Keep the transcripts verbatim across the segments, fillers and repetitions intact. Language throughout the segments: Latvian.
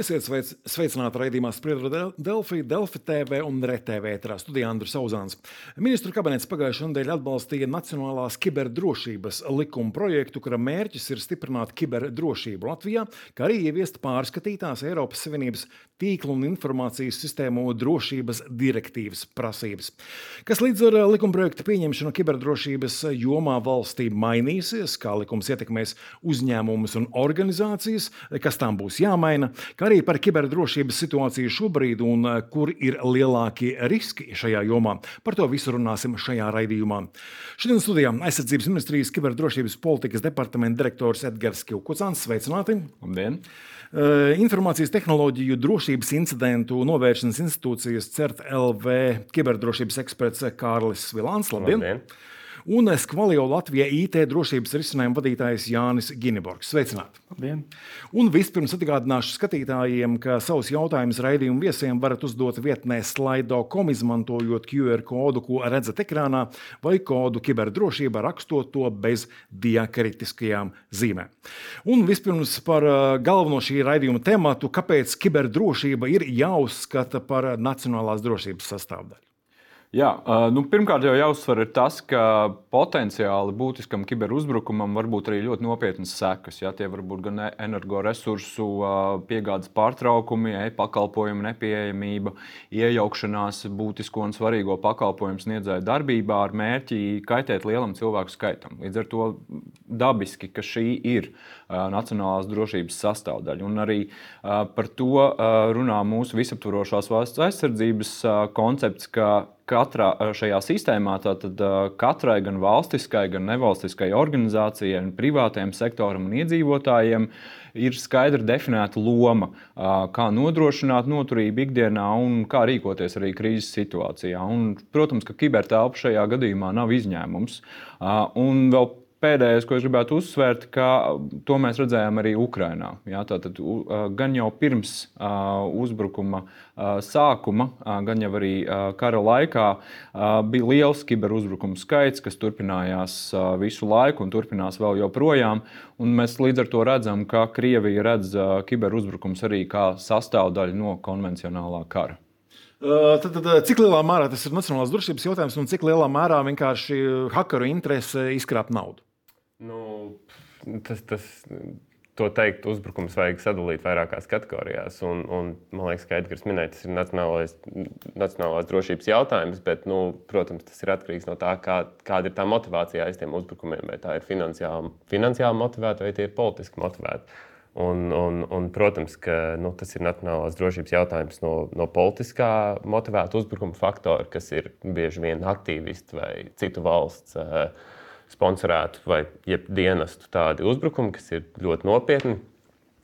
Esiet sveic, sveicināti raidījumā Spriedra Delfi, Delfi T V un RTV ēterā studijā Andris Auzāns. Ministru kabinets pagājušajā nedēļā atbalstīja Nacionālās kiberdrošības likuma projektu, kura mērķis ir stiprināt kiberdrošību Latvijā, kā arī ieviest pārskatītās Eiropas Savienības tīklu un informācijas sistēmu drošības direktīvas prasības. Kas līdz ar likumprojekta pieņemšanu kiberdrošības jomā valstī mainīsies, kā likums ietekmēs uzņēmumus un organizācijas, kas tām būs jāmaina, kā arī par kiberdrošības situāciju šobrīd un kur ir lielākie riski šajā jomā. Par to visu runāsim šajā raidījumā. Šodien studijā Aizsardzības ministrijas kiberdrošības politikas departamenta direktors Edgars Kivkucāns. Sveicināti! Labdien! Informācijas tehnoloģiju drošības incidentu novēršanas institūcijas CERT L V kiberdrošības eksperts Kārlis Vilāns. Labdien! Labdien. Un Skvalio Latvija I T drošības risinājumu vadītājs Jānis Giniborgs. Sveicināti! Labdien! Un vispirms atgādināšu skatītājiem, ka savus jautājumus raidījumu viesiem varat uzdot vietnē slido punktu com, izmantojot Q R kodu, ko redzat ekrānā, vai kodu kiberdrošība, rakstot to bez diakritiskajām zīmēm. Un vispirms par galveno šī raidījuma tematu, kāpēc kiberdrošība ir jāuzskata par nacionālās drošības sastāvdaļu. Jā, nu, pirmkārt jau jāuzsver ir tas, ka potenciāli būtiskam kiberuzbrukumam var būt arī ļoti nopietnas sekas. Ja? Tie var būt gan energoresursu piegādes pārtraukumi, e-pakalpojumu nepieejamība, iejaukšanās būtisko un svarīgo pakalpojumu sniedzēju darbībā ar mērķi kaitēt lielam cilvēku skaitam. Līdz ar to dabiski, ka šī ir nacionālās drošības sastāvdaļa. Un arī par to runā mūsu visaptvarošās valsts aizsardzības koncepts, ka katrā šajā sistēmā tātad katrai gan valstiskai, gan nevalstiskai organizācijai, un privātajam sektoram un iedzīvotājiem ir skaidri definēta loma, kā nodrošināt noturību ikdienā un kā rīkoties arī krīzes situācijā. Un, protams, ka kibertelpa šajā gadījumā nav izņēmums. Un vēl pēdējais, ko es gribētu uzsvērt, ka to mēs redzējām arī Ukrainā. Jā, tātad gan jau pirms uzbrukuma sākuma, gan jau arī kara laikā bija liels kiberuzbrukumu skaits, kas turpinājās visu laiku un turpinās vēl joprojām. Un mēs līdz ar to redzam, ka Krievija redz kiberuzbrukums arī kā sastāvdaļu no konvencionālā kara. Tad, tad, cik lielā mērā tas ir nacionālās drošības jautājums un cik lielā mērā vienkārši hakeru interese izkrāpt naudu? Nu, tas, tas, to teikt, uzbrukums vajag sadalīt vairākās kategorijās. Un, un, man liekas, ka Edgars minēja, tas ir nacionālais, nacionālās drošības jautājums, bet, nu, protams, tas ir atkarīgs no tā, kā, kāda ir tā motivācija aiz tiem uzbrukumiem. Vai tā ir finansiāli, finansiāli motivēta vai tie ir politiski motivēti. Un, un, un, protams, ka nu, tas ir nacionālās drošības jautājums no, no politiskā motivēta uzbrukuma faktora, kas ir bieži vien aktīvisti vai citu valsts uh, sponsorētu vai jeb dienestu tādi uzbrukumi, kas ir ļoti nopietni.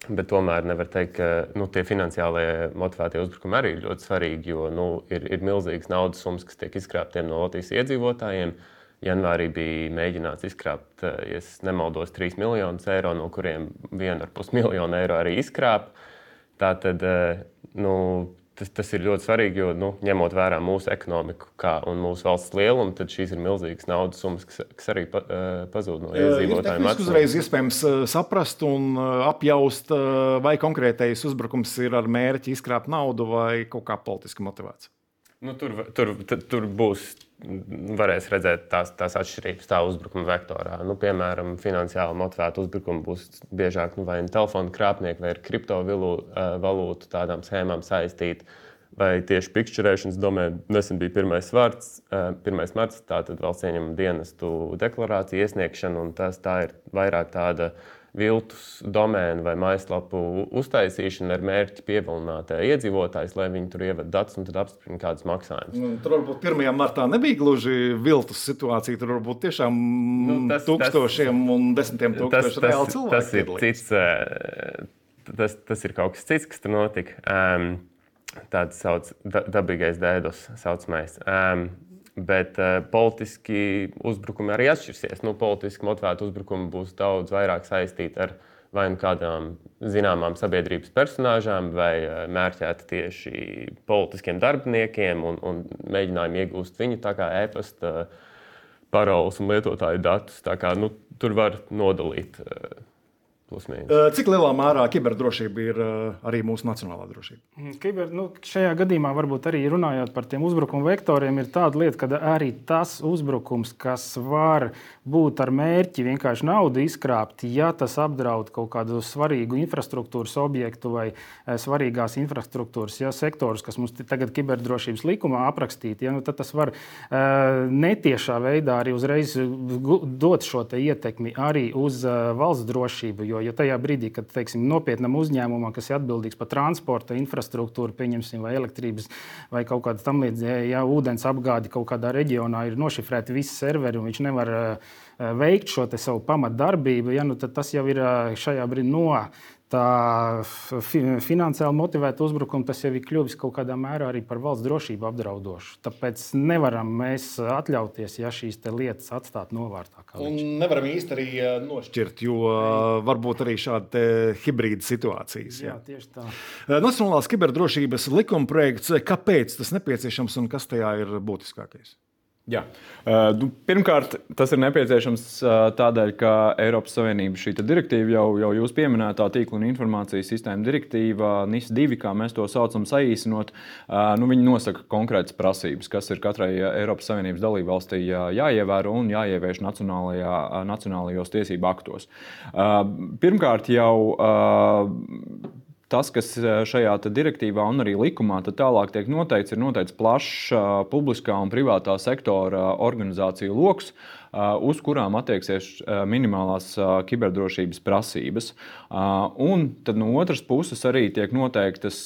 Bet tomēr nevar teikt, ka nu, tie finansiālie motivētie uzbrukumi arī ir ļoti svarīgi, jo nu, ir, ir milzīgas naudas summas, kas tiek izkrāptiem no Latvijas iedzīvotājiem. Janvārī bija mēģināts izkrāpt, ja es nemaldos, trīs miljonus eiro, no kuriem vienu ar pus miljonu eiro arī izkrāp. Tātad, nu, tas, tas ir ļoti svarīgi, jo, nu, ņemot vērā mūsu ekonomiku kā, un mūsu valsts lielumu, tad šīs ir milzīgas naudas summas, kas, kas arī pa, pazūd no iedzīvotājiem. Ir uzreiz iespējams saprast un apjaust, vai konkrētais uzbrukums ir ar mērķi izkrāpt naudu vai kaut kā politiski motivēts. Nu, tur, tur, tur būs, varēs redzēt tās, tās atšķirības tā uzbrukuma vektorā. Nu, piemēram, finansiāli motivēta uzbrukuma būs biežāk nu, vai telefona krāpnieki vai ar kriptovalūtu tādām schēmām saistīti, vai tieši pikšķerēšanas domēn. Nesen bija pirmais marts, pirmais marts tātad valsts ieņēmuma dienestu deklarācija iesniegšana, un tas tā ir vairāk tāda viltus domēnu vai mājaslapu uztaisīšana ar mērķi pievilināt iedzīvotājus, lai viņi tur ievada datus un tad apstiprina kādus maksājumus. Nu, tur varbūt pirmajā martā nebija gluži viltus situācija, tur varbūt tiešām nu, tas, tūkstošiem tas, un desmitiem tūkstoši reāli cilvēki. Tas ir cits, tas, tas ir kaut kas cits, kas tur notika. Um, tāds sauc dabīgais dēdos saucamais. Um, Bet uh, politiski uzbrukumi arī atšķirsies. Nu, politiski motivēti uzbrukumi būs daudz vairāk saistīti ar vai nu kādām zināmām sabiedrības personāžām, vai uh, mērķēti tieši politiskiem darbiniekiem un, un mēģinājumu iegūst viņu tā kā e-pasta paroles un lietotāju datus. Tā kā, nu, tur var nodalīt uh, Cik lielā mērā kiberdrošība ir arī mūsu nacionālā drošība? Kiber, nu, šajā gadījumā varbūt arī runājot par tiem uzbrukuma vektoriem, ir tāda lieta, ka arī tas uzbrukums, kas var būt ar mērķi vienkārši naudu izkrāpt, ja tas apdraud kaut kādu svarīgu infrastruktūras objektu vai svarīgās infrastruktūras ja, sektorus, kas mums tagad kiberdrošības likumā aprakstīti, ja, nu, tad tas var netiešā veidā arī uzreiz dot šo te ietekmi arī uz valsts drošību. Jo, ja tajā brīdī, kad teiksim, nopietnam uzņēmumam, kas ir atbildīgs par transporta infrastruktūru, pieņemsim, vai elektrības, vai kaut kāda tam līdzīga, ja ūdens apgādi kaut kādā reģionā ir nošifrēti visi serveri un viņš nevar veikt šo te savu pamatdarbību, ja, nu, tad tas jau ir šajā brīdī no tā finansiāli motivēta uzbrukuma, tas jau ir kļuvis kaut kādā mērā arī par valsts drošību apdraudošu. Tāpēc nevaram mēs atļauties, ja šīs te lietas atstāt novārtā. Un nevaram īsti arī nošķirt, jo varbūt arī šāda hibrīda situācijas. Jā, tieši tā. Nacionālās kiberdrošības likuma projekts, kāpēc tas nepieciešams un kas tajā ir būtiskākais? Jā. Uh, pirmkārt, tas ir nepieciešams uh, tādēļ, ka Eiropas Savienība šī direktīva, jau, jau jūs pieminētā tīkla un informācijas sistēma direktīva, N I S divi, kā mēs to saucam, saīsinot, uh, nu, viņi nosaka konkrētas prasības, kas ir katrai Eiropas Savienības dalībvalstī jāievēro un jāievieš nacionālajā, nacionālajos tiesību aktos. Uh, pirmkārt, jau uh, tas, kas šajā direktīvā un arī likumā tālāk tiek noteikts, ir noteikts plašs publiskā un privātā sektora organizāciju loks, uz kurām attieksies minimālās kiberdrošības prasības. Un tad no otras puses arī tiek noteiktas,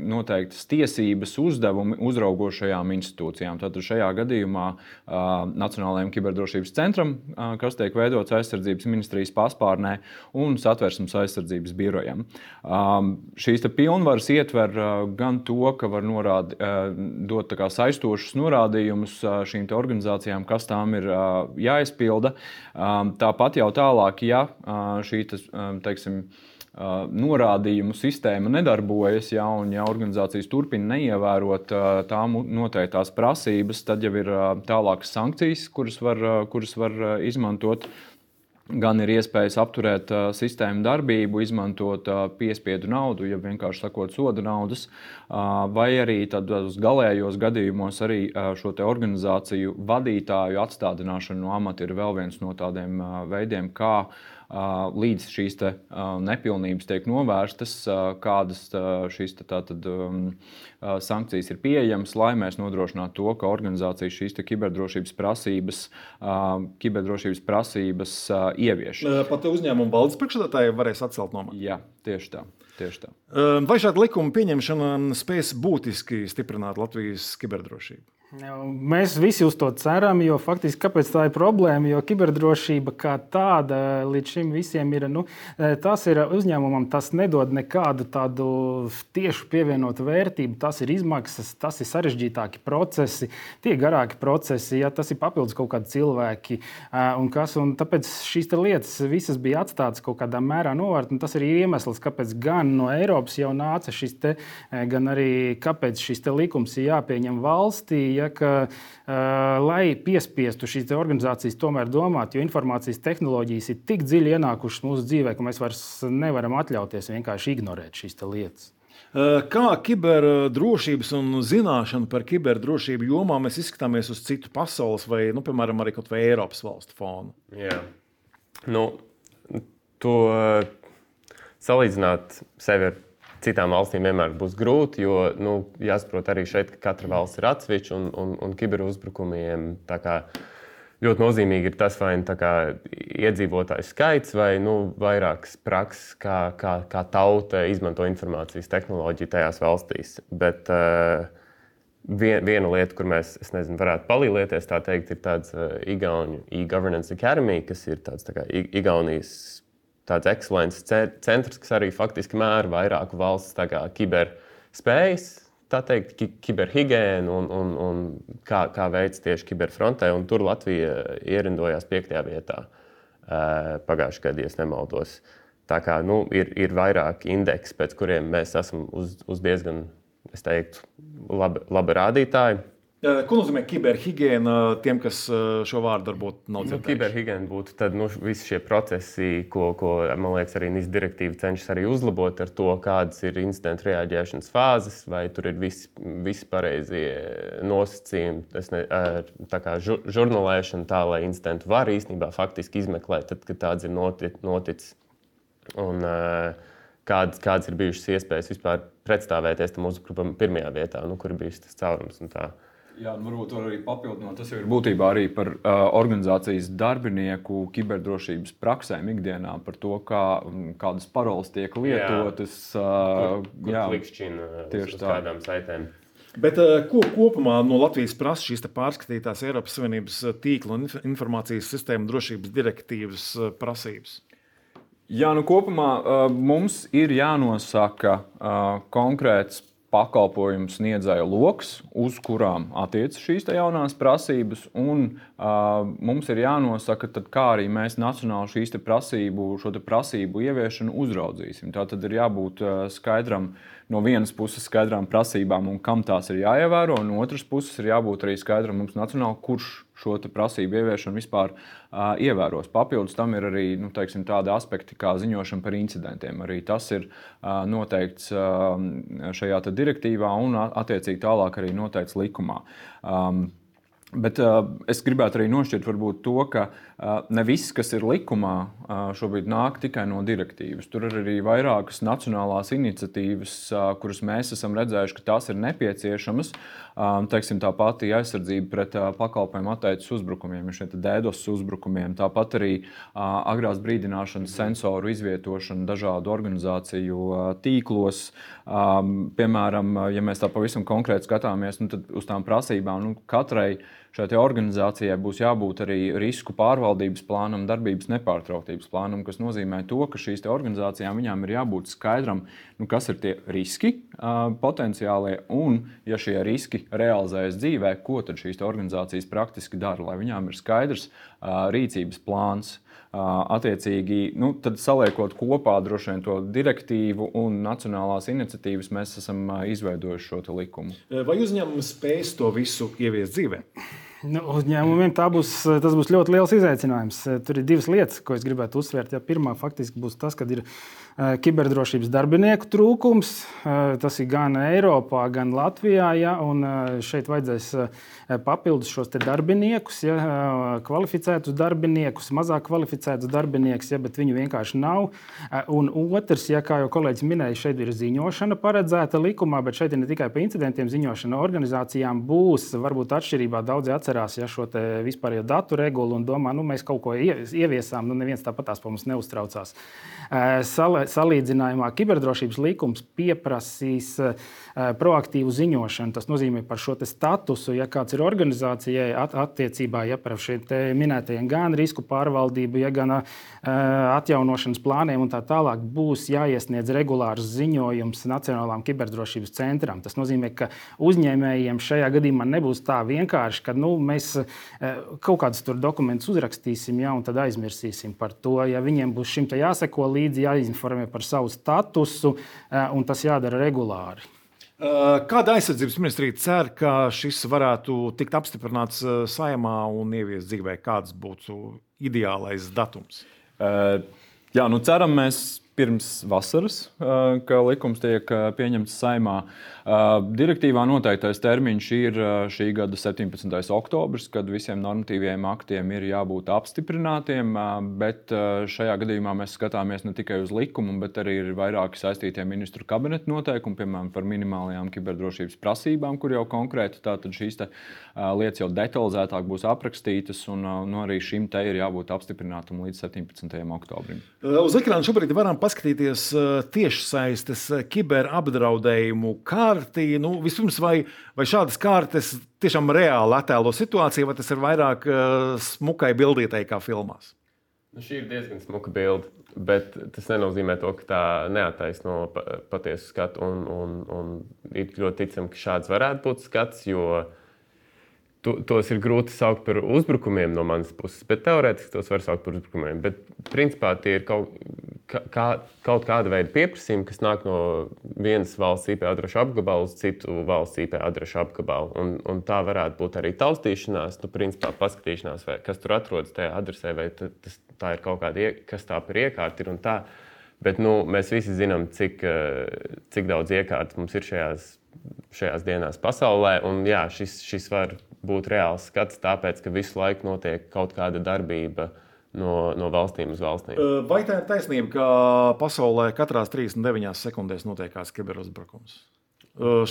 noteiktas tiesības uzdevumi uzraugošajām institūcijām. Tātad šajā gadījumā Nacionālajiem kiberdrošības centram, kas tiek veidots aizsardzības ministrijas paspārnē, un Satversmes aizsardzības birojam. Šīs pilnvaras ietver gan to, ka var norādi, dot tā kā saistošus norādījumus šīm organizācijām, kas tām ir jāizpilda. Tāpat jau tālāk, ja šī teiksim, norādījumu sistēma nedarbojas, ja, un ja organizācijas turpina neievērot tām noteiktās prasības, tad jau ir tālākas sankcijas, kuras var, kuras var izmantot. Gan ir iespējas apturēt uh, sistēmu darbību, izmantot uh, piespiedu naudu, ja vienkārši sakot soda naudas, uh, vai arī tad uz galējos gadījumos arī uh, šo te organizāciju vadītāju atstādināšana no amata ir vēl viens no tādiem uh, veidiem, kā uh, līdz šīs te, uh, nepilnības tiek novērstas, uh, kādas uh, šīs te, tātad, um, uh, sankcijas ir pieejamas, lai mēs nodrošinātu to, ka organizācija šīs te kiberdrošības prasības, uh, kiberdrošības prasības uh, ievieš. Pat uzņēmuma valdes priekšsēdētāji varēs atcelt no manis. Jā, tieši tā, tieši tā. Vai šāda likuma pieņemšana spēs būtiski stiprināt Latvijas kiberdrošību? Mēs visi uz to ceram, jo faktiski kāpēc tā ir problēma, jo kiberdrošība kā tāda līdz šim visiem ir, nu, tas ir uzņēmumam, tas nedod nekādu tādu tiešu pievienotu vērtību, tas ir izmaksas, tas ir sarežģītāki procesi, tie garāki procesi, ja tas ir papildus kaut kādi cilvēki un kas, un tāpēc šīs te lietas visas bija atstātas kaut kādā mērā novērt, un tas arī ir iemesls, kāpēc gan no Eiropas jau nāca šis te, gan arī kāpēc šis te likums ir jāpieņem valstī, ja, ka, uh, lai piespiestu šīs organizācijas tomēr domāt, jo informācijas tehnoloģijas ir tik dziļi ienākušas mūsu dzīvē, ka mēs vairs nevaram atļauties vienkārši ignorēt šīs lietas. Kā kiberdrošības un zināšana par kiberdrošību jomā mēs izskatāmies uz citu pasaules vai, nu, piemēram, arī kaut vai Eiropas valstu fonu? Jā. Nu, to salīdzināt sevi ar citām valstīm vienmēr būs grūti, jo nu, jāsaprot arī šeit, ka katra valsts ir atsevišķa un, un, un kiberuzbrukumiem tā kā ļoti nozīmīgi ir tas, vai tā kā iedzīvotāju skaits vai nu, vairākas prakses, kā, kā, kā tauta izmanto informācijas tehnoloģiju tajās valstīs. Bet uh, vien, viena lieta, kur mēs, es nezinu, varētu palīdzēties, tā teikt, ir tāds uh, Igauņu e-Governance Academy, kas ir tāds tā kā Igaunijas tāds ekscelences centrs, kas arī faktiski mēra vairāku valsts tā kā kiberspējas, tā teikt, ki kiberhigēnu un, un, un kā, kā veids tieši kiberfrontē. Un tur Latvija ierindojās piektajā vietā pagājušajā gadā, ja nemaldos. Tā kā nu, ir, ir vairāki indeksi, pēc kuriem mēs esam uz, uz diezgan, es teiktu, labi, labi rādītāji. Ko nozīmē kiberhigiēna tiem, kas šo vārdu varbūt nav dzirdējuši? Nu, kiberhigiēna būtu tad, nu, visi šie procesi, ko, ko man liekas, arī N I S direktīva cenšas arī uzlabot ar to, kādas ir incidentu reaģēšanas fāzes, vai tur ir visi, visi pareizie nosacījumi. Tas ne, tā kā žur, žurnālēšana tā, lai incidentu var īstenībā faktiski izmeklēt, tad, kad tāds ir noticis. Un kādas, kādas ir bijušas iespējas vispār pretstāvēties tam uzbrukumam pirmajā vietā, nu, kur ir bijis tas caurums un tā. Jā, varbūt var arī papildināt. Tas jau ir būtībā arī par uh, organizācijas darbinieku kiberdrošības praksēm ikdienā, par to, kā, kādas paroles tiek lietotas. Uh, kur kur klikšķina uz, uz kādām saitēm. Bet ko kopumā no Latvijas prasa šīs pārskatītās Eiropas Savienības tīkla un informācijas sistēmu drošības direktīvas prasības? Jā, nu kopumā uh, mums ir jānosaka uh, konkrēts pakalpojumu sniedzēju loks, uz kurām attiecas šīs jaunās prasības, un uh, mums ir jānosaka, tad, kā arī mēs nacionāli šīs te prasību, šo te prasību ieviešanu uzraudzīsim. Tā tad ir jābūt uh, skaidram, no vienas puses skaidrām prasībām un kam tās ir jāievēro, un no otras puses ir jābūt arī skaidram mums nacionāli, kurš šo te prasību ieviešanu vispār uh, ievēros. Papildus tam ir arī nu, teiksim, tādi aspekti kā ziņošana par incidentiem. Arī tas ir uh, noteikts uh, šajā te direktīvā un attiecīgi tālāk arī noteikts likumā. Um, Bet uh, es gribētu arī nošķirt varbūt to, ka uh, ne viss, kas ir likumā, uh, šobrīd nāk tikai no direktīvas. Tur ir arī vairākas nacionālās iniciatīvas, uh, kuras mēs esam redzējuši, ka tās ir nepieciešamas. Um, teiksim, tā pati aizsardzība pret uh, pakalpojumu atteicis uzbrukumiem, šie DDoS uzbrukumiem. Tāpat arī uh, agrās brīdināšanas sensoru izvietošana dažādu organizāciju uh, tīklos. Um, piemēram, ja mēs tā pavisam konkrēti skatāmies, nu, tad uz tām prasībām nu, katrai šai organizācijai būs jābūt arī risku pārvaldības plānam, darbības nepārtrauktības plānam, kas nozīmē to, ka šīs organizācijām viņām ir jābūt skaidram, nu, kas ir tie riski uh, potenciālie, un ja šie riski realizējas dzīvē, ko tad šīs organizācijas praktiski dara, lai viņām ir skaidrs uh, rīcības plāns. Uh, attiecīgi, nu, tad saliekot kopā droši vien to direktīvu un nacionālās iniciatīvas, mēs esam uh, izveidojuši šo te likumu. Vai uzņēmumi spēs to visu ieviest dzīvē? Nu, uzņēmumiem tā būs, tas būs ļoti liels izaicinājums. Tur ir divas lietas, ko es gribētu uzsvērt. Ja, pirmā faktiski būs tas, ka ir kiberdrošības darbinieku trūkums. Tas ir gan Eiropā, gan Latvijā. Ja, un šeit vajadzēs papildus šos te darbiniekus, ja, kvalificētus darbiniekus, mazāk kvalificētus darbiniekus, ja, bet viņu vienkārši nav. Un otrs, ja, kā jau kolēģis minēja, šeit ir ziņošana paredzēta likumā, bet šeit ir ne tikai par incidentiem ziņošana. Organizācijām būs varbūt atšķirībā daudzi atcerās, ja šo te vispārējo datu regulu un domā, nu mēs kaut ko ieviesām, nu neviens tāpatās par mums neuztraucās. Salīdzinājumā kiberdrošības likums pieprasīs proaktīvu ziņošanu. Tas nozīmē par šo te statusu, ja kāds ir organizācijai at, attiecībā ja par šiem te minētajiem gan risku pārvaldību, ja gan atjaunošanas plāniem un tā tālāk būs jāiesniedz regulārs ziņojums Nacionālām kiberdrošības centram. Tas nozīmē, ka uzņēmējiem šajā gadījumā nebūs tā vienkārši, ka nu, mēs kaut kādus tur dokumentus uzrakstīsim ja, un tad aizmirsīsim par to. Ja viņiem būs šim te jāseko līdzi, jāinformē par savu statusu un tas jādara regulāri. Kāda aizsardzības ministrija cer, ka šis varētu tikt apstiprināts Saeimā un ieviest dzīvē? Kāds būtu ideālais datums? Uh, jā, nu ceram mēs pirms vasaras, uh, ka likums tiek uh, pieņemts Saeimā. Uh, direktīvā noteiktais termiņš ir uh, šī gada septiņpadsmitais oktobris, kad visiem normatīviem aktiem ir jābūt apstiprinātiem, uh, bet uh, šajā gadījumā mēs skatāmies ne tikai uz likumu, bet arī ir vairāki saistītie ministru kabineta noteikumi, piemēram, par minimālajām kiberdrošības prasībām, kur jau konkrēti tātad šīs te, uh, lietas jau detalizētāk būs aprakstītas, un uh, nu, arī šim te ir jābūt apstiprinātam līdz septiņpadsmitajam oktobrim. Uz ekrāna šobrīd varam paskatīties tiešsaistes kiberapdraudējumu kārti. Nu, vispirms, vai, vai šādas kārtas tiešām reāli attēlo situāciju, vai tas ir vairāk smukai bildītai kā filmās? Nu, šī ir diezgan smuka bilde, bet tas nenozīmē to, ka tā neattaisno patiesu skatu. Un, un, un ir ļoti ticam, ka šāds varētu būt skats, jo to, tos ir grūti saukt par uzbrukumiem no manas puses, bet teorētiski tos var saukt par uzbrukumiem. Bet principā tie ir kaut kā, kaut kāda veida pieprasījumi, kas nāk no vienas valsts I P adrešu apgabala uz citu valsts I P adrešu apgabalu. Un, un tā varētu būt arī taustīšanās, nu, principā paskatīšanās, vai kas tur atrodas tajā adresē, vai tas, tā ir kaut kāda, kas tā par iekārta ir un tā. Bet nu, mēs visi zinām, cik, cik daudz iekārtas mums ir šajās, šajās dienās pasaulē. Un, jā, šis, šis var būt reāls skats, tāpēc, ka visu laiku notiek kaut kāda darbība no, no valstīm uz valstīm. Vai tā ir taisnība, ka pasaulē katrās trīsdesmit deviņās sekundēs notiek kāds kiberuzbrukums?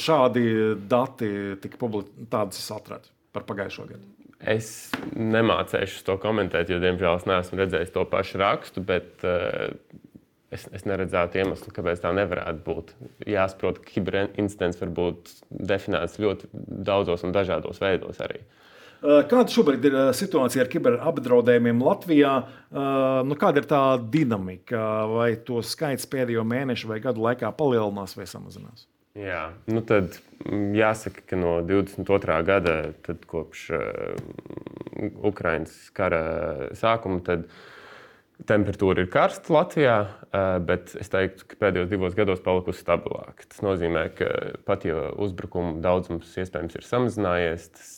Šādi dati tika publicēti, tādas es atradu par pagājušo gadu. Es nemācēšu to komentēt, jo, diemžēl, es neesmu redzējis to pašu rakstu, bet uh, es, es neredzētu iemeslu, kāpēc tā nevarētu būt. Jāsaprot, ka kiberincidents var būt definēts ļoti daudzos un dažādos veidos arī. Kāda šobrīd ir situācija ar kiberapdraudējumiem Latvijā? Nu, kāda ir tā dinamika? Vai to skaits pēdējo mēnešu vai gadu laikā palielinās vai samazinās? Jā, nu tad jāsaka, ka no divdesmit otrā gada, tad kopš uh, Ukrainas kara sākuma, tad temperatūra ir karsta Latvijā, uh, bet es teiktu, ka pēdējos divos gados palikusi stabilāka. Tas nozīmē, ka pat ja uzbrukumu daudzums iespējams ir samazinājies, tas,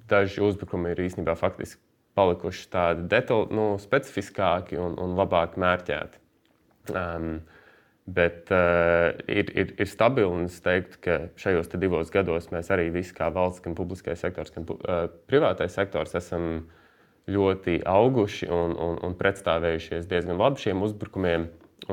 daži uzbrukumi ir īstenībā faktiski palikuši tādi detaļi, nu, specifiskāki un, un labāk mērķēti. Um, Bet uh, ir, ir, ir stabili, un es teiktu, ka šajos divos gados mēs arī visi, kā valsts, gan publiskais sektors, gan uh, privātais sektors, esam ļoti auguši un, un, un pretstāvējušies diezgan labi šiem uzbrukumiem.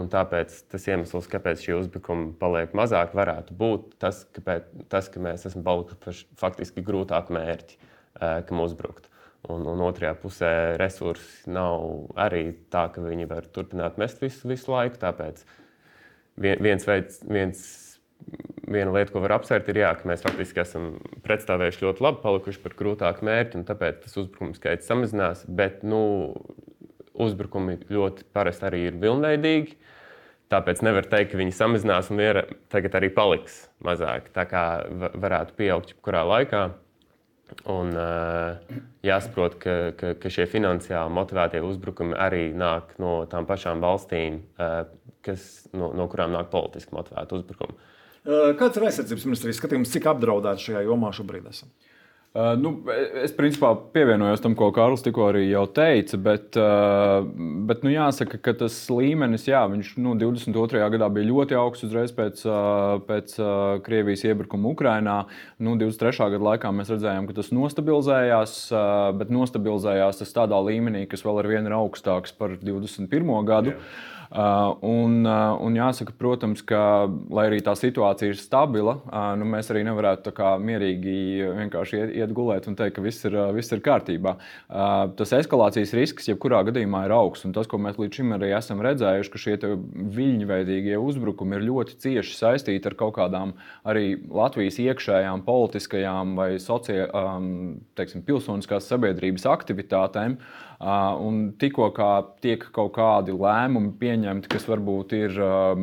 Un tāpēc tas iemesls, kāpēc šie uzbrukumi paliek mazāk, varētu būt tas, kāpēc, tas ka mēs esam palikuši faktiski grūtāk mērķi, uh, kam uzbrukt. Un, un otrajā pusē resursi nav arī tā, ka viņi var turpināt mest visu, visu laiku. Tāpēc Viens veids, viens, viena lieta, ko var apsvērt, ir, jā, ka mēs faktiski esam pretstāvējuši ļoti labi, palikuši par grūtāku mērķi, un tāpēc tas uzbrukumu skaits samazinās. Bet nu, uzbrukumi ļoti parasti arī ir vilnveidīgi, tāpēc nevar teikt, ka viņi samazinās un ir, tagad arī paliks mazāk. Tā kā varētu pieaugt jebkurā laikā. Un uh, jāsaprot, ka, ka, ka šie finansiāli motivētie uzbrukumi arī nāk no tām pašām valstīm, uh, kas, no, no kurām nāk politiski motivēti uzbrukumi. Kāds ir aizsardzības ministrijas skatījums, cik apdraudēti šajā jomā šobrīd esam? Uh, nu, es principā pievienojos tam, ko Kārlis tikko arī jau teica, bet, uh, bet nu, jāsaka, ka tas līmenis, jā, viņš nu, divdesmit otrajā gadā bija ļoti augsts uzreiz pēc, uh, pēc uh, Krievijas iebrukuma Ukrainā. Nu, divdesmit trešā gada laikā mēs redzējām, ka tas nostabilizējās, uh, bet nostabilizējās tas tādā līmenī, kas vēl ar vienu ir augstāks par divdesmit pirmo gadu. Jā. Uh, un, uh, un jāsaka, protams, ka, lai arī tā situācija ir stabila, uh, nu, mēs arī nevarētu tā kā mierīgi vienkārši iet, iet gulēt un teikt, ka viss ir, uh, viss ir kārtībā. Uh, tas eskalācijas risks jebkurā gadījumā ir augsts, un tas, ko mēs līdz šim arī esam redzējuši, ka šie viļņveidīgie uzbrukumi ir ļoti cieši saistīti ar kaut kādām arī Latvijas iekšējām politiskajām vai socie, um, teiksim, pilsoniskās sabiedrības aktivitātēm. Uh, un tikko kā tiek kaut kādi lēmumi pieņemti, kas varbūt ir um,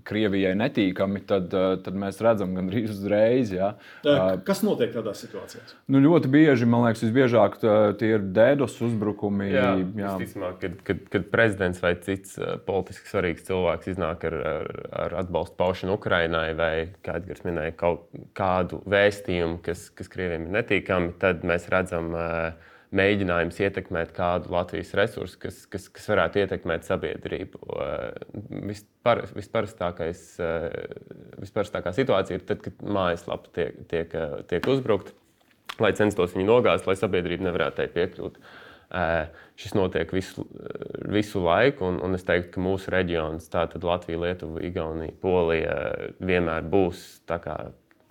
Krievijai netīkami, tad, uh, tad mēs redzam gandrīz uzreiz. Ja. Uh, kas notiek tādās situācijās? Nu, ļoti bieži, man liekas, visbiežāk tie ir DDoS uzbrukumi. Jā, jā. Visticamāk, kad, kad, kad prezidents vai cits uh, politiski svarīgs cilvēks iznāk ar, ar, ar atbalstu paušanu Ukrainai vai, kā Edgars minēja, kaut kādu vēstījumu, kas, kas Krievijam ir netīkami, tad mēs redzam uh, mēģinājums ietekmēt kādu Latvijas resursu, kas, kas, kas varētu ietekmēt sabiedrību. Vispar, visparastākais, visparastākā situācija ir tad, kad mājaslapa tiek, tiek, tiek uzbrukta, lai censtos viņu nogāzt, lai sabiedrība nevarētu tai piekļūt. Šis notiek visu, visu laiku, un, un es teiktu, ka mūsu reģions, tātad Latvija, Lietuva, Igaunija, Polija, vienmēr būs tā kā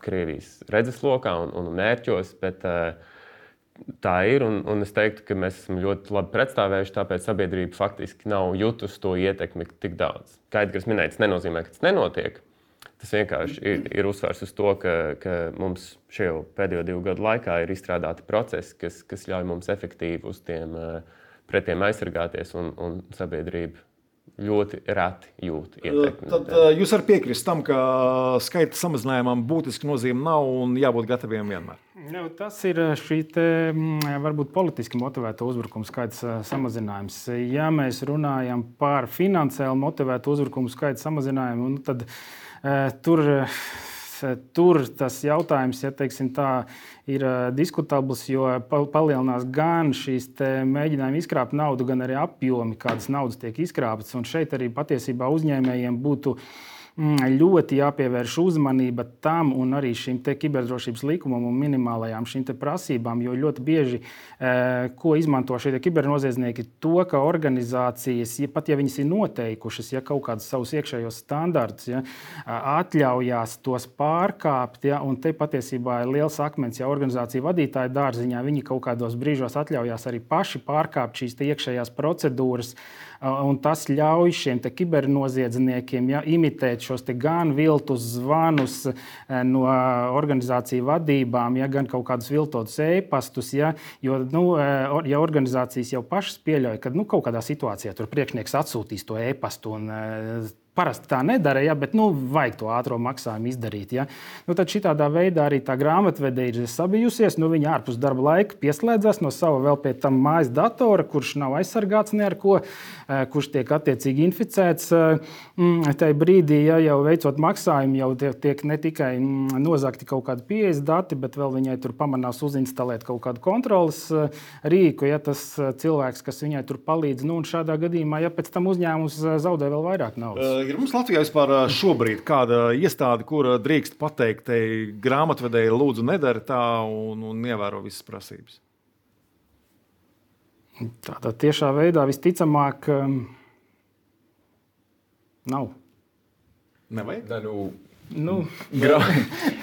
Krievijas redzeslokā un, un mērķos, bet tā ir, un, un es teiktu, ka mēs esam ļoti labi pretstāvējuši, tāpēc sabiedrība faktiski nav jutusi to ietekmi tik daudz. Kā Edgars minēja, tas nenozīmē, ka tas nenotiek. Tas vienkārši ir, ir uzsvars uz to, ka, ka mums šajā pēdējo divu gadu laikā ir izstrādāti procesi, kas, kas ļauj mums efektīvi uz tiem pretiem aizsargāties, un, un sabiedrība ļoti reti jūt ietekmi. Tad jūs varat piekrist tam, ka skaita samazinājumam būtiski nozīme nav un jābūt gataviem vienmēr? Nu, tas ir šī te, varbūt politiski motivēta uzbrukuma skaita samazinājums. Ja mēs runājam par finansiāli motivētu uzbrukumu skaita samazinājumu, nu, tad uh, tur, tur tas jautājums, ja teiksim tā, ir diskutabls, jo palielinās gan šīs mēģinājumi izkrāpt naudu, gan arī apjomi, kādas naudas tiek izkrāptas. Un šeit arī patiesībā uzņēmējiem būtu ļoti jāpievērš uzmanība tam un arī šim te kiberdrošības likumam un minimālajām šīm te prasībām, jo ļoti bieži, ko izmanto šie kibernoziedznieki, to, ka organizācijas, ja pat ja viņas ir noteikušas, ja kaut kādus savus iekšējos standartus, ja, atļaujās tos pārkāpt, ja, un te patiesībā ir liels akmens, ja organizācija vadītāja dārziņā, viņi kaut kādos brīžos atļaujās arī paši pārkāpt šīs te iekšējās procedūras, un tas ļauj šiem te kibernoziedzniekiem, ja, imitēt šos te gan viltus zvanus no organizāciju vadībām, ja, gan kaut kādus viltotus e-pastus, ja, jo, nu, ja organizācijas jau pašas pieļauj, ka nu, kaut kādā situācijā tur priekšnieks atsūtīs to e-pastu un parasti tā nedara, ja, bet nu, vajag to ātro maksājumu izdarīt. Ja. Nu, tad šitādā veidā arī tā grāmatvede ir sabijusies. Nu, viņa ārpus darba laika pieslēdzas no sava vēl pie tam mājas datora, kurš nav aizsargāts ne ar ko, kurš tiek attiecīgi inficēts. Tajā brīdī, ja jau veicot maksājumu, jau tiek ne tikai nozagti kaut kādi pieejas dati, bet vēl viņai tur pamanās uzinstalēt kaut kādu kontrolas rīku, ja tas cilvēks, kas viņai tur palīdz. Nu, un šādā gadījumā, ja pēc tam uzņēmums zaudē vēl vairāk naudas. Ir mums Latvijā vispār šobrīd kāda iestāde, kur drīkst pateikt, te grāmatvedēji lūdzu nedara tā un, un ievēro visas prasības? Tādā tiešā veidā visticamāk nav. Nevajag? Da, nu, nu,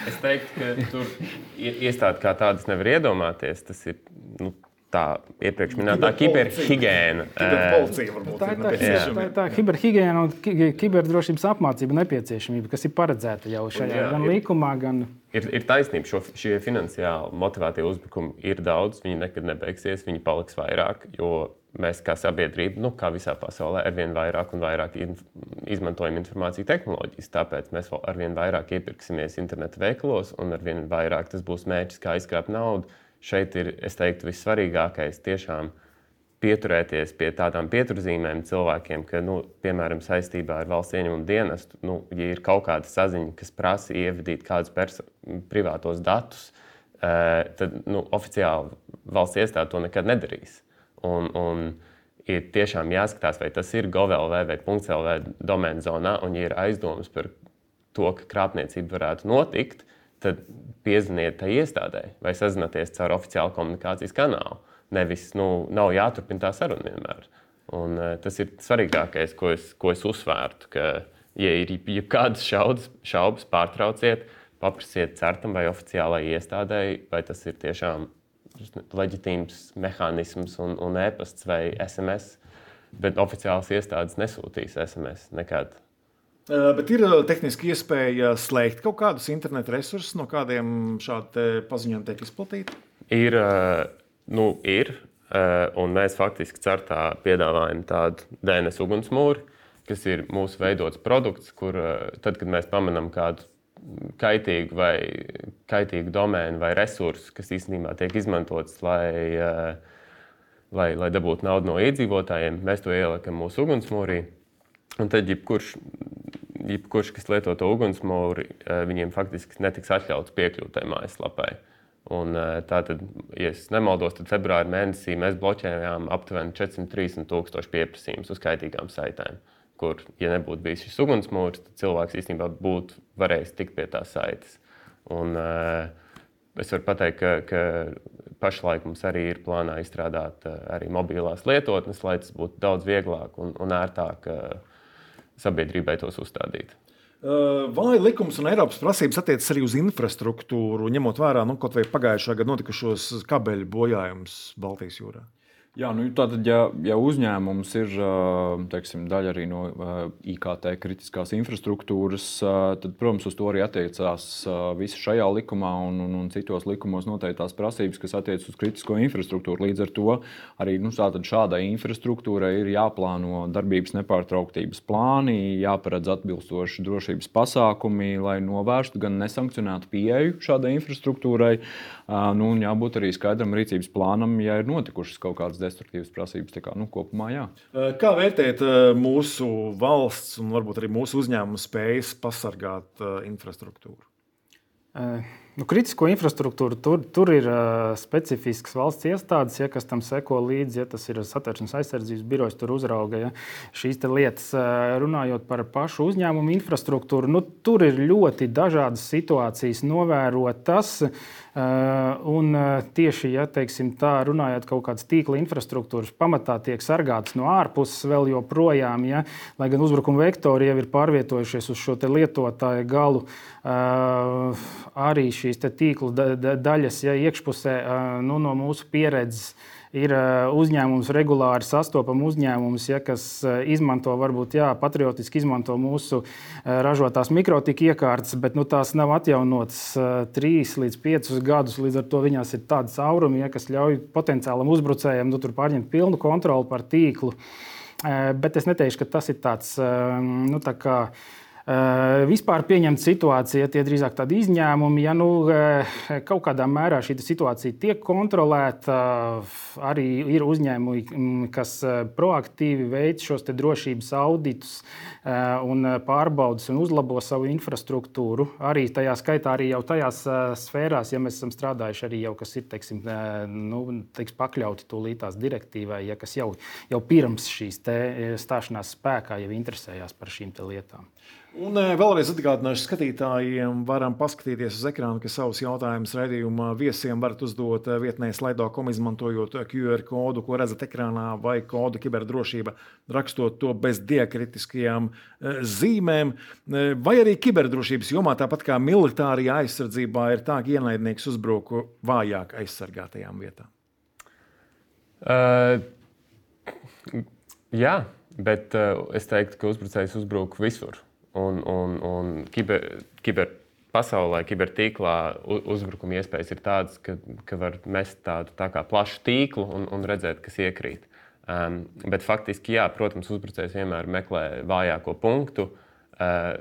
es teiktu, ka tur iestādi kā tādas nevar iedomāties. Tas ir nu, tā iepriekš minētā kiberhigēna. Kiberpolicija varbūt tā ir tā, nepieciešama. tā, tā kiberhigēna un kiberdrošības apmācība nepieciešamība, kas ir paredzēta jau šajā jā, gan ir, likumā, gan... Ir, ir taisnība, šo, šie finansiāli motivētie uzbrukumi ir daudz, viņi nekad nebeigsies, viņi paliks vairāk, jo mēs kā sabiedrība, nu, kā visā pasaulē, arvien vairāk un vairāk izmantojam informāciju tehnoloģijas, tāpēc mēs arvien vairāk iepirksimies interneta veikalos un arvien vairāk tas būs mērķis, kā izkrāpt naudu. Šeit ir, es teiktu, vissvarīgākais tiešām pieturēties pie tādām pieturzīmēm cilvēkiem, ka, nu, piemēram, saistībā ar valsts ieņemumu dienestu, nu, ja ir kaut kāda saziņa, kas prasa ievadīt kādus perso- privātos datus, tad nu, oficiāli valsts iestāde to nekad nedarīs. Un, un ir tiešām jāskatās, vai tas ir gov.lv vai .lv domēna zonā, un ja ir aizdomas par to, ka krāpniecība varētu notikt, tad piezvaniet tai iestādē vai sazināties caur oficiālu komunikācijas kanālu. Nevis, nu, nav jāturpina tā saruna vienmēr. Un, uh, tas ir svarīgākais, ko es, ko es uzsvērtu, ka, ja ir jebkādas šaubas, šaubas, pārtrauciet, paprasiet certam vai oficiālai iestādēji, vai tas ir tiešām leģitīms mehānisms un, un e-pasts vai es em es, bet oficiālas iestādes nesūtīs es em es nekad. Bet ir tehniski iespēja slēgt kaut kādus interneta resursus, no kādiem šādi paziņojumi tiek izplatīti? Ir, nu, ir, un mēs faktiski Certā piedāvājam tādu D N S ugunsmūri, kas ir mūsu veidots produkts, kur tad, kad mēs pamanām kādu kaitīgu vai kaitīgu domēnu vai resursu, kas īstenībā tiek izmantots, lai, lai, lai dabūtu naudu no iedzīvotājiem, mēs to ieliekam mūsu ugunsmūrī. Un tad jebkurš, jebkurš, kas lieto to ugunsmūri, viņiem faktiski netiks atļauts piekļūt tai mājaslapai. Un tātad, ja es nemaldos, tad februāra mēnesī mēs bloķējām aptuveni četri simti trīsdesmit tūkstoši pieprasījumus uz kaitīgām saitēm, kur, ja nebūtu bijis šis ugunsmūris, tad cilvēks īstenībā būtu varējis tikt pie tās saites. Un es varu pateikt, ka, ka pašlaik mums arī ir plānā izstrādāt arī mobilās lietotnes, lai tas būtu daudz vieglāk un, un ērtāk sabiedrībai tos uzstādīt. Vai likums un Eiropas prasības attiecas arī uz infrastruktūru, ņemot vērā nu, kaut vai pagājušā gada notikušos kabeļu bojājumus Baltijas jūrā? Jā, nu, tātad, ja, ja uzņēmums ir teiksim, daļa arī no I K T kritiskās infrastruktūras, tad, protams, uz to arī attiecās visi šajā likumā un, un, un citos likumos noteiktās prasības, kas attiecas uz kritisko infrastruktūru. Līdz ar to arī nu, šādai infrastruktūrai ir jāplāno darbības nepārtrauktības plāni, jāparedz atbilstoši drošības pasākumi, lai novērstu gan nesankcionētu pieeju šādai infrastruktūrai, nu, un jābūt arī skaidram rīcības plānam, ja ir notikušas kaut kādas destruktīvas prasības. Tā kā, nu, kopumā, jā. Kā vērtēt mūsu valsts un varbūt arī mūsu uzņēmumu spējas pasargāt infrastruktūru? Nu, kritisko infrastruktūru tur, tur ir uh, specifisks valsts iestādes, ja, kas tam seko līdzi. Ja, tas ir Satversmes aizsardzības birojs, tur uzrauga ja, šīs lietas. Uh, runājot par pašu uzņēmumu infrastruktūru, nu, tur ir ļoti dažādas situācijas novērotas. Uh, un uh, tieši ja, teiksim, tā, runājot kaut kādas tīkla infrastruktūras, pamatā tiek sargātas no ārpuses vēl joprojām, ja, lai gan uzbrukuma vektori jau ir pārvietojušies uz šo lietotāju galu. Uh, arī šīs tīklu da, da, daļas ja, iekšpusē uh, nu, no mūsu pieredzes ir uh, uzņēmums, regulāri sastopama uzņēmums, ja, kas uh, izmanto, varbūt jā, patriotiski izmanto mūsu uh, ražotās mikrotika iekārtas, bet nu, tās nav atjaunotas uh, trīs līdz piecus gadus. Līdz ar to viņās ir tādi caurumi, ja, kas ļauj potenciālam uzbrucējam nu, tur pārņemt pilnu kontroli par tīklu. Uh, bet es neteikšu, ka tas ir tāds, uh, nu, tā kā Uh, vispār pieņemta situācija, tie drīzāk tādi izņēmumi. Ja nu, uh, kaut kādā mērā šī situācija tiek kontrolēta, uh, arī ir uzņēmumi, kas uh, proaktīvi veic šos te drošības auditus uh, un pārbaudas un uzlabo savu infrastruktūru. Arī tajā skaitā arī jau tajās uh, sfērās, ja mēs esam strādājuši arī jau, kas ir teiksim, uh, nu, teiks, pakļauti tūlītās direktīvai, ja, kas jau, jau pirms šīs te stāšanās spēkā jau interesējās par šīm te lietām. Un vēlreiz atgādināšu skatītājiem, varam paskatīties uz ekrānu, ka savus jautājumus raidījuma viesiem varat uzdot vietnē slido punktu com, izmantojot Q R kodu, ko redzat ekrānā, vai kodu kiberdrošība, rakstot to bez diakritiskajām zīmēm. Vai arī kiberdrošības jomā, tāpat kā militārajā aizsardzībā, ir tā, ka ienaidnieks uzbruku vājāk aizsargātajām vietām? Uh, jā, bet uh, es teiktu, ka uzbrucējs uzbruk visur. Un, un, un kiber, kiber pasaulē, kibertīklā uzbrukuma iespējas ir tādas, ka, ka var mest tādu tā kā plašu tīklu un, un redzēt, kas iekrīt. Um, bet faktiski, jā, protams, uzbrucējs vienmēr meklē vājāko punktu. Uh,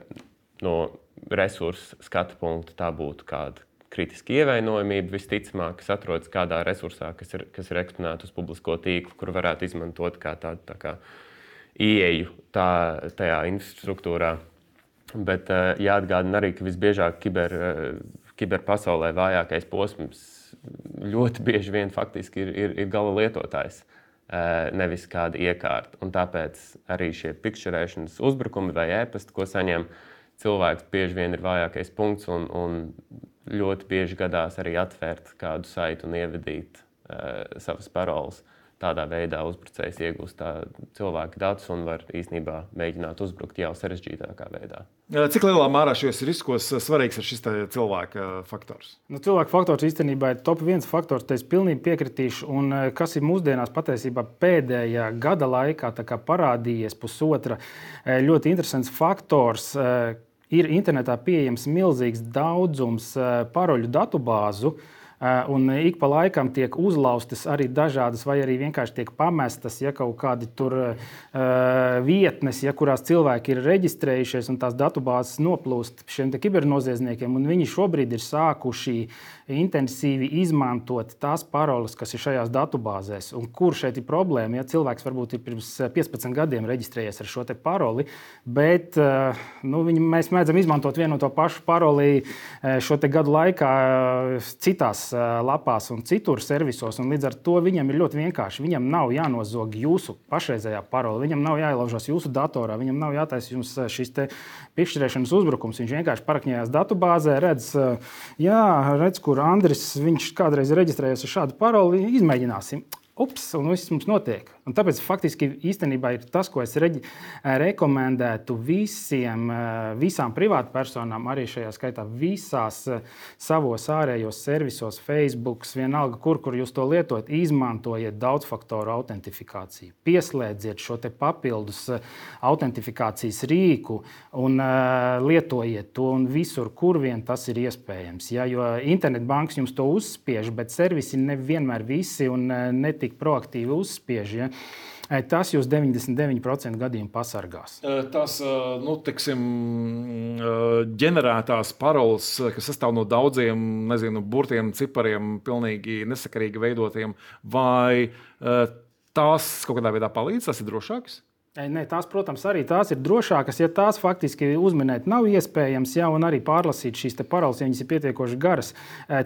no resursu skatu punkta tā būtu kāda kritiska ievainojamība, visticamāk, kas atrodas kādā resursā, kas ir, kas ir eksponēta uz publisko tīklu, kur varētu izmantot kā tādu tā kā ieeju tā, tajā infrastruktūrā. Bet uh, jāatgādina arī, ka visbiežāk kiber, uh, kiberpasaulē vājākais posms ļoti bieži vien faktiski ir, ir, ir gala lietotājs, uh, nevis kāda iekārta. Un tāpēc arī šie pikšķerēšanas uzbrukumi vai ēpasti, ko saņem cilvēks, bieži vien ir vājākais punkts un, un ļoti bieži gadās arī atvērt kādu saitu un ievedīt uh, savas paroles. Tādā veidā uzbrucējs iegūst cilvēku datus un var īstenībā mēģināt uzbrukt jau sarežģītākā veidā. Cik lielā mērā šajos riskos svarīgs ir šis cilvēka faktors? Nu, cilvēka faktors īstenībā ir top viens faktors, te es pilnīgi piekritīšu. Un kas ir mūsdienās patiesībā pēdējā gada laikā tā kā parādījies pusotra ļoti interesants faktors. Ir internetā pieejams milzīgs daudzums paroļu datubāzu, un ik pa laikam tiek uzlaustas arī dažādas, vai arī vienkārši tiek pamestas, ja kaut kādi tur uh, vietnes, ja kurās cilvēki ir reģistrējušies, un tās datubāzes noplūst šiem te kibernoziedzniekiem, un viņi šobrīd ir sākuši intensīvi izmantot tās paroles, kas ir šajās datubāzēs. Un kur šeit ir problēma? Ja cilvēks varbūt ir pirms piecpadsmit gadiem reģistrējies ar šo te paroli, bet uh, nu, viņi, mēs mēdzam izmantot vienu no to pašu paroli šo te gadu laikā citās lapās un citur servisos, un līdz ar to viņam ir ļoti vienkārši. Viņam nav jānozog jūsu pašreizējā parola, viņam nav jāielaužas jūsu datorā, viņam nav jātaisa jums šis te pikšķerēšanas uzbrukums. Viņš vienkārši parakņējās datubāzē, redz, jā, redz, kur Andris, viņš kādreiz reģistrējies ar šādu paroli, izmēģināsim. ups, un viss mums notiek. Un tāpēc faktiski īstenībā ir tas, ko es reģi, rekomendētu visiem, visām privātpersonām, arī šajā skaitā visās savos ārējos servisos, Facebook, vienalga, kur, kur jūs to lietojat, izmantojiet daudzfaktoru autentifikāciju. Pieslēdziet šo te papildus autentifikācijas rīku un uh, lietojiet to un visur, kur vien tas ir iespējams. Ja? Jo internetbankas jums to uzspiež, bet servisi nevienmēr visi un uh, netik tik proaktīvi uzspiež, ja, tas jūs deviņdesmit deviņi procenti gadījumu pasargās. Tās, nu, tiksim, ģenerētās paroles, kas sastāv no daudziem, nezinu, burtiem, cipariem, pilnīgi nesakarīgi veidotiem, vai tās kaut kādā veidā palīdz, tas ir drošāks? Nē, tās, protams, arī tās ir drošākas, ja tās faktiski uzminēt nav iespējams, ja, un arī pārlasīt šīs paroles, ja viņas ir pietiekoši garas.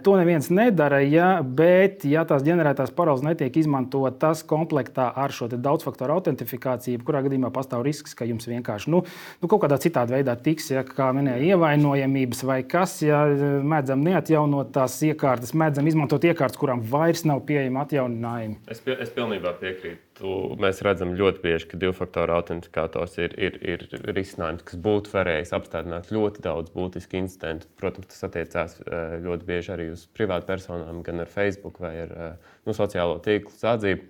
To neviens nedara, ja, bet ja tās ģenerētās paroles netiek izmantotas komplektā ar šo daudzfaktoru autentifikāciju, kurā gadījumā pastāv risks, ka jums vienkārši nu, nu, kaut kādā citādi veidā tiks, ja, kā minēja, ievainojamības vai kas, ja mēdzam neatjaunot tās iekārtas, mēdzam izmantot iekārtas, kurām vairs nav pieejama atjauninājumi. Es, pie, es pilnībā piekrītu. Mēs redzam ļoti bieži, ka divfaktoru autentifikators ir, ir, ir risinājums, kas būtu varējis apstādināt ļoti daudz būtisku incidentu. Protams, tas attiecās ļoti bieži arī uz privātpersonām, gan ar Facebook vai ar nu, sociālo tīklu sadzību.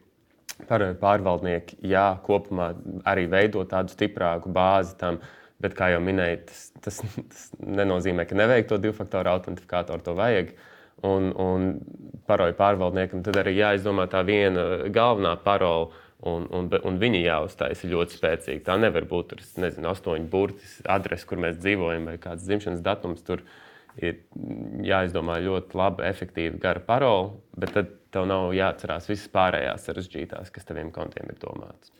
Pārvaldnieki, jā, kopumā arī veido tādu stiprāku bāzi tam, bet, kā jau minēju, tas, tas, tas nenozīmē, ka nevajag to divfaktoru autentifikatoru, to vajag. Un, un paroļu pārvaldniekam tad arī jāizdomā tā viena galvenā parola, un, un, un viņi jāuztaisa ļoti spēcīgi. Tā nevar būt ar, nezinu, astoņu burtis adresi, kur mēs dzīvojam, vai kāds dzimšanas datums. Tur ir jāizdomā ļoti laba, efektīva, gara parola, bet tad tev nav jāatcerās visas pārējās sarežģītās, kas taviem kontiem ir domātas.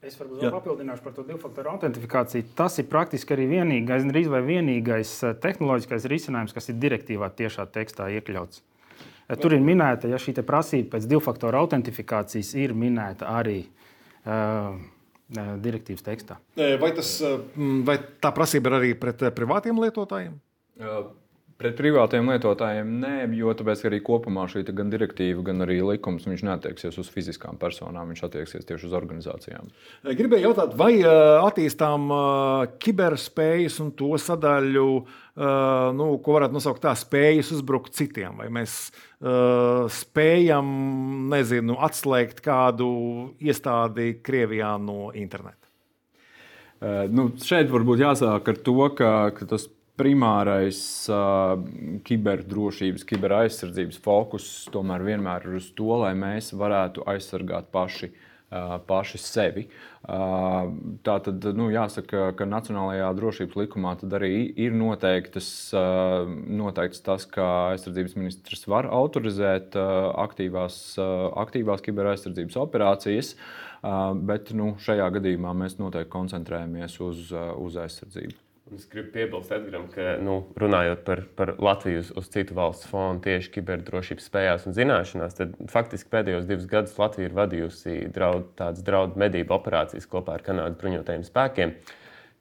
Es varbūt vēl papildināšu par to divfaktoru autentifikāciju. Tas ir praktiski arī vienīgais, drīz vai vienīgais tehnoloģiskais risinājums, kas ir direktīvā tiešā tekstā iekļauts. Tur ir minēta, ja šī prasība pēc divfaktoru autentifikācijas ir minēta arī uh, direktīvas tekstā. Vai, tas, vai tā prasība ir arī pret privātiem lietotājiem? Uh. Pret privātiem lietotājiem nē, jo tāpēc arī kopumā šī gan direktīva, gan arī likums viņš neattieksies uz fiziskām personām, viņš attieksies tieši uz organizācijām. Gribēju jautāt, vai attīstām kiberspējas un to sadaļu, nu, ko varētu nosaukt tā, spējas uzbrukt citiem, vai mēs spējam, nezinu, atslēgt kādu iestādi Krievijā no interneta? Nu, šeit varbūt jāsāk ar to, ka, ka tas primārais uh, kiberdrošības, kiberaizsardzības fokus tomēr vienmēr ir uz to, lai mēs varētu aizsargāt paši, uh, paši sevi. Uh, tā tad nu, jāsaka, ka Nacionālajā drošības likumā tad arī ir noteiktas, uh, noteikts tas, ka aizsardzības ministrs var autorizēt uh, aktīvās, uh, aktīvās kiberaizsardzības operācijas, uh, bet nu, šajā gadījumā mēs noteikti koncentrējamies uz, uh, uz aizsardzību. Es gribu piebilst, Edgaram, ka nu, runājot par, par Latviju uz, uz citu valstu fonu tieši kiberdrošības spējās un zināšanās, tad faktiski pēdējos divus gadus Latvija ir vadījusi draud, tādas draudu medību operācijas kopā ar Kanādas bruņotajiem spēkiem,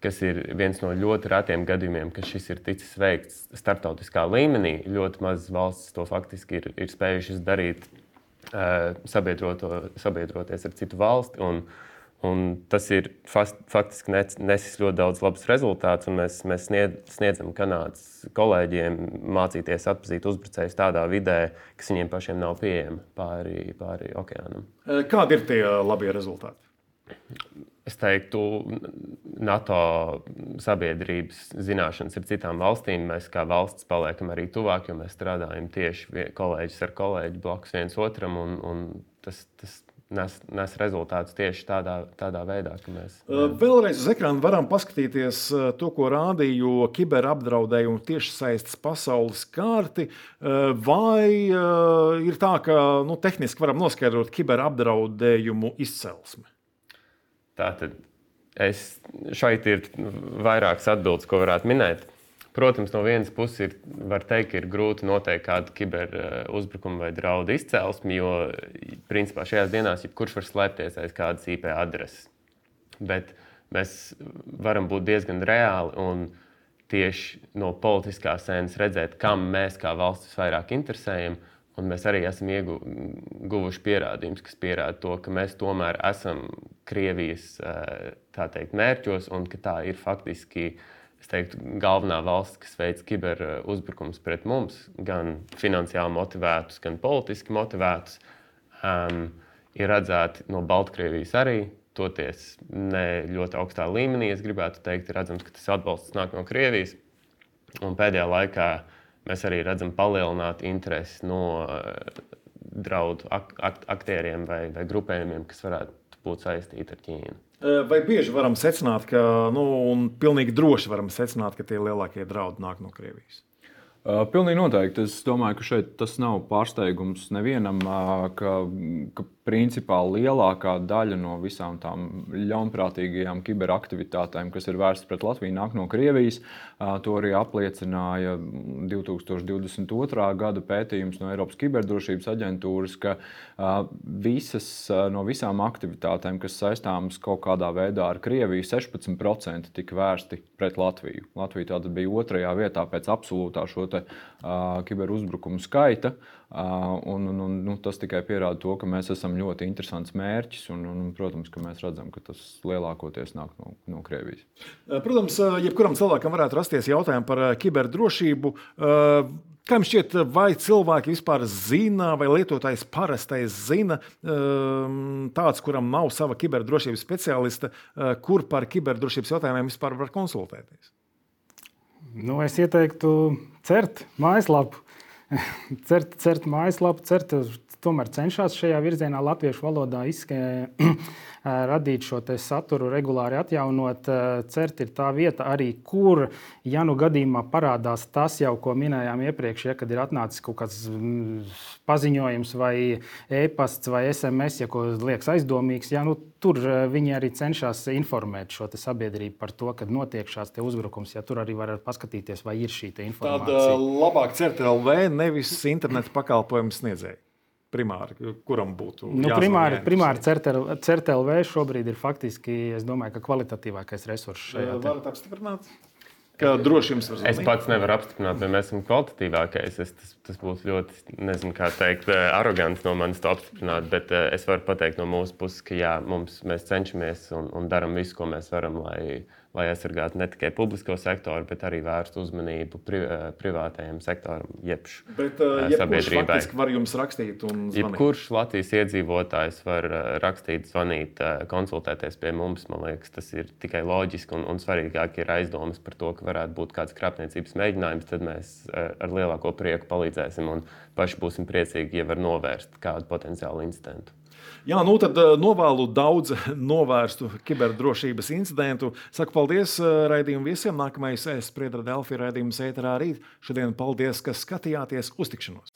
kas ir viens no ļoti retiem gadījumiem, ka šis ir ticis veikts starptautiskā līmenī. Ļoti mazas valstis to faktiski ir, ir spējušas darīt, uh, sabiedroties ar citu valsti. Un, Un tas ir faktiski nesis ļoti daudz labus rezultātus, un mēs, mēs sniedzam Kanādas kolēģiem mācīties atpazīt uzbrucējus tādā vidē, kas viņiem pašiem nav pieejama pāri, pāri okeānam. Kādi ir tie labie rezultāti? Es teiktu, NATO sabiedrības zināšanas ar citām valstīm. Mēs kā valsts paliekam arī tuvāk, jo mēs strādājam tieši kolēģis ar kolēģi blakus viens otram, un, un tas, tas Nes, nes rezultātus tieši tādā, tādā veidā, ka mēs... Vēlreiz uz ekrāna varam paskatīties to, ko rādīja kiberapdraudējumu tiešsaistes pasaules kārti. Vai ir tā, ka nu, tehniski varam noskaidrot kiberapdraudējumu izcelsmi? Tātad es, šeit ir vairākas atbildes, ko varētu minēt. Protams, no vienas puses ir, var teikt, ka ir grūti noteikt kādu kiberuzbrukumu vai draudu izcelsmi, jo principā šajās dienās jebkurš var slēpties aiz kādas I P adreses. Bet mēs varam būt diezgan reāli un tieši no politiskās sēnes redzēt, kam mēs kā valstis vairāk interesējam Un mēs arī esam ieguvuši pierādījumus, kas pierāda to, ka mēs tomēr esam Krievijas tā teikt, mērķos un ka tā ir faktiski es teiktu, galvenā valsts, kas veic kiberuzbrukums pret mums, gan finansiāli motivētus, gan politiski motivētus, um, ir redzēti no Baltkrievijas arī. Toties ne ļoti augstā līmenī, es gribētu teikt, ir redzams, ka tas atbalsts nāk no Krievijas. Un pēdējā laikā mēs arī redzam palielināt interesi no uh, draudu ak ak aktieriem vai, vai grupējumiem, kas varētu būt saistīti ar Ķīnu. Vai bieži varam secināt, ka, nu, un pilnīgi droši varam secināt, ka tie lielākie draudi nāk no Krievijas? Uh, pilnīgi noteikti. Es domāju, ka šeit tas nav pārsteigums nevienam, uh, ka, ka principā lielākā daļa no visām tām ļaunprātīgajām kiberaktivitātēm, kas ir vērstas pret Latviju, nāk no Krievijas. Uh, to arī apliecināja divi tūkstoši divdesmit otrā gada pētījums no Eiropas kiberdrošības aģentūras, ka uh, visas, uh, no visām aktivitātēm, kas saistāmas kaut kādā veidā ar Krieviju, sešpadsmit procenti tika vērsti pret Latviju. Latvija tātad bija otrajā vietā pēc absolūtā šo te, uh, kiberuzbrukumu skaita. Uh, un, un, un, nu, tas tikai pierāda to, ka mēs esam ļoti interesants mērķis. Un, un, protams, ka mēs redzam, ka tas lielākoties nāk no, no Krievijas. Protams, jebkuram cilvēkam varētu rasties jautājumi par kiberdrošību. Kā jums šķiet, vai cilvēki vispār zina, vai lietotājs parastais zina, tāds, kuram nav sava kiberdrošības speciālista, kur par kiberdrošības jautājumiem vispār var konsultēties? Nu, es ieteiktu CERT mājaslapu. CERT, CERT mājaslapu, CERT tomēr cenšas šajā virzienā latviešu valodā izskē, radīt šo te saturu, regulāri atjaunot. CERT ir tā vieta arī, kur, ja nu gadījumā parādās tas jau, ko minējām iepriekš, ja, kad ir atnācis kaut kāds paziņojums vai e-pasts vai es em es, ja ko liekas aizdomīgs, ja, nu, tur viņi arī cenšas informēt šo te sabiedrību par to, kad notiek šāds te uzbrukums. Ja, tur arī var paskatīties, vai ir šī te informācija. Tad labāk CERT L V, nevis interneta pakalpojumu sniedzēji. Primāri, kuram būtu nu, primāri, primāri CERT L V šobrīd ir faktiski, es domāju, ka kvalitatīvākais resurss šajā. Varat apstiprināt, ka droši jums var zvanīt? Es pats nevaru apstiprināt, vai mēs esam kvalitatīvākais. Es, tas, tas būtu ļoti, nezinu, kā teikt, arogants no manis to apstiprināt, bet es varu pateikt no mūsu puses, ka jā, mums, mēs cenšamies un, un daram visu, ko mēs varam, lai, lai aizsargātu ne tikai publisko sektoru, bet arī vērstu uzmanību pri, privātajam sektoram, jebš bet, uh, sabiedrībai. Bet faktiski var jums rakstīt un zvanīt? Jebkurš Latvijas iedzīvotājs var rakstīt, zvanīt, konsultēties pie mums. Man liekas, tas ir tikai loģiski un, un svarīgāk ir aizdomas par to, ka varētu būt kāds krāpniecības mēģinājums, tad mēs ar lielāko prieku palīdzēsim un paši būsim priecīgi, ja var novērst kādu potenciālu incidentu. Jā, nu tad novēlu daudz novērstu kiberdrošības incidentu. Saku paldies raidījumu viesiem. Nākamais Spriedra Delfi raidījums ēterā rīt. Šodien paldies, ka skatījāties. Uz tikšanos!